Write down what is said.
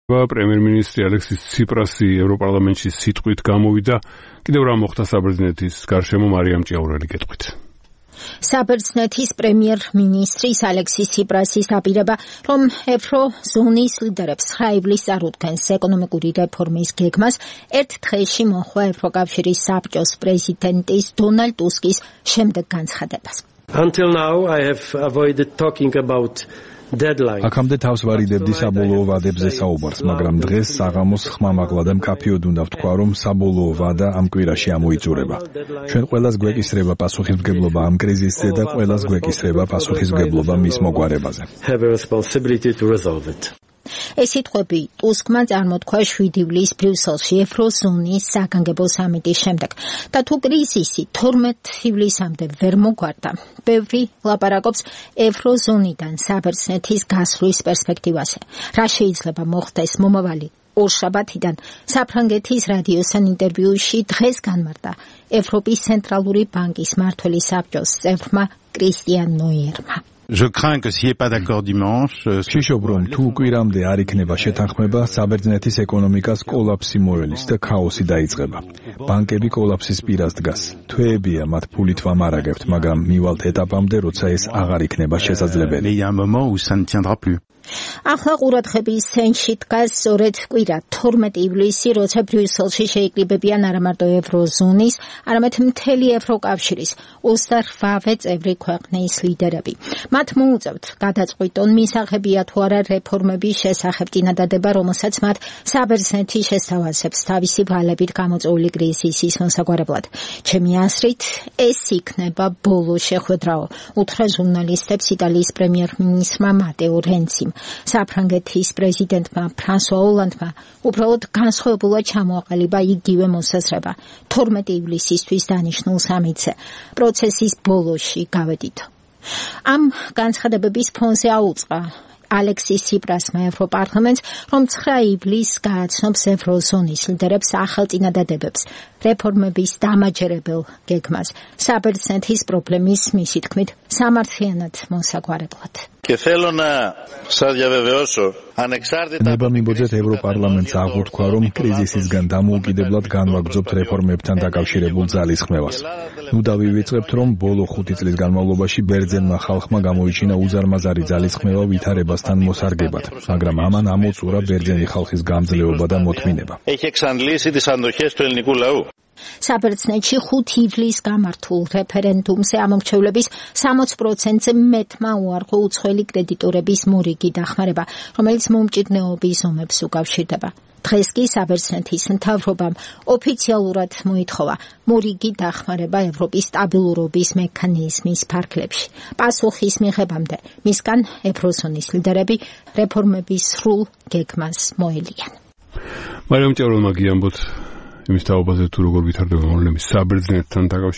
პრემიერ-მინისტრი ალექსის ციპრასი ევროპარლამენტში სიტყვით გამოვიდა. კიდევ რა მოხდა საბერძნეთის გარშემო მარიამ ჭიაურელი გეტყვით. საბერძნეთის პრემიერ-მინისტრის ალექსის ციპრასის აპირება, რომ ევროზონის ლიდერებს 9 ივლისს წარუდგენს ეკონომიკური რეფორმის გეგმას, ერთ დღეში მოჰყვა ევროკავშირის საბჭოს პრეზიდენტის დონალდ ტუსკის შემდეგ განცხადებას. Until now I have avoided talking about აქამდე თავს ვარიდებდი საბოლოო ვადებზე საუბარს, მაგრამ დღეს საღამოს ხმამაღლა და მკაფიოდ უნდა ვთქვა, რომ საბოლოო ვადა ამ კვირაში ამოიწურება. ჩვენ ყველას გვეკისრება პასუხისმგებლობა ამ კრიზისზე და ყველას გვეკისრება პასუხისმგებლობა მის მოგვარებაზე. ეს სიტყვები ტუსკმა წარმოთქვა 7 ივლისს ბრიუსელში ევროზონის საგანგებო სამიტის შემდეგ და თუ კრიზისი 12 ივლისამდე ვერ მოგვარდა, ბევრი ლაპარაკობს ევროზონიდან საბერძნეთის გასვლის პერსპექტივაზე. რა შეიძლება მოხდეს მომავალი ორშაბათიდან საფრანგეთის რადიოსთან ინტერვიუში დღეს განმარტა ევროპის ცენტრალური ბანკის მმართველი საბჭოს წევრმა კრისტიან ნოიერმა. Je crains que s'il n'y ait pas d'accord dimanche, ვშიშობ, რომ თუ კვირამდე არ იქნება შეთანხმება, საბერძნეთის ეკონომიკას კოლაფსი მოელის და ქაოსი დაიწყება. ბანკები კოლაფსის პირას დგას. თვეებია მათ ფულით ვამარაგებთ, მაგრამ მივალთ ეტაპამდე, როცა ეს აღარ იქნება შესაძლებელი. mais il y a un moment où ça ne tiendra plus. ახლა ყურადღების ცენტრში დგას სწორედ კვირა 12 ივლისი, როცა ბრიუსელში შეიკრიბებიან არა მარტო ევროზონის, არამედ მთელი ევროკავშირის 28 წევრი ქვეყნის ლიდერები. მათ მოუწევთ გადაწყვიტონ მისაღებია თუ არა რეფორმების შესახებ წინადადება, რომელსაც მათ საბერძნეთი შესთავაზებს თავისი ვალებით გამოწვეული კრიზისის მოსაგვარებლად. ჩემი აზრით, ეს იქნება ბოლო შეხვედრაო, უთხრა ჟურნალისტებს იტალიის პრემიერ-მინისტრმა მატეო რენციმ. საფრანგეთის პრეზიდენტმა ფრანსუა ოლანდმა უბრალოდ განსხვავებულად ჩამოაყალიბა იგივე მოსაზრება 12 ივლისისთვის დანიშნულ სამიტზე. პროცესის ბოლოში გავედით. ამ განცხადებების ფონზე აუწყა ალექსის ციპრასმა ევროპარლამენტს, რომ 9 ივლისს გააცნობს ევროზონის ლიდერებს ახალ წინადადებებს რეფორმების დამაჯერებელ გეგმას საბერძნეთის პრობლემის მისი თქმით სამართლიანად მოსაგვარებლად. ნება მიბოძეთ ევროპარლამენტს აღვთქვა, რომ კრიზისისგან დამოუკიდებლად განვაგრძობთ რეფორმებთან დაკავშირებულ ძალისხმევას. ნუ დავივიწყებთ, რომ ბოლო 5 წლის განმავლობაში ბერძენმა ხალხმა გამოიჩინა უზარმაზარი ძალისხმევა ვითარებასთან მოსარგებად, მაგრამ ამან ამოწურა ბერძენი ხალხის გამძლეობა და მოთმინება. საბერძნეთში 5 ივლისს გამართულ რეფერენდუმზე ამომრჩევლების 60%-ზე მეტმა უარყო უცხოელი კრედიტორების მორიგი დახმარება, რომელიც მომჭიდნეობის ომებს უკავშირდება. დღეს კი საბერძნეთის მთავრობამ ოფიციალურად მოითხოვა მორიგი დახმარება ევროპის სტაბილურობის მექანიზმის ფარგლებში. პასუხის მიღებამდე მისგან ევროზონის ლიდერები რეფორმების სრულ გეგმას მოელიან. მარიამ ჭიაურელმა გიამბოთ იმის თაობაზე თუ როგორ ვითარდება მოვლენები საბერძნეთთან დაკავშირებით.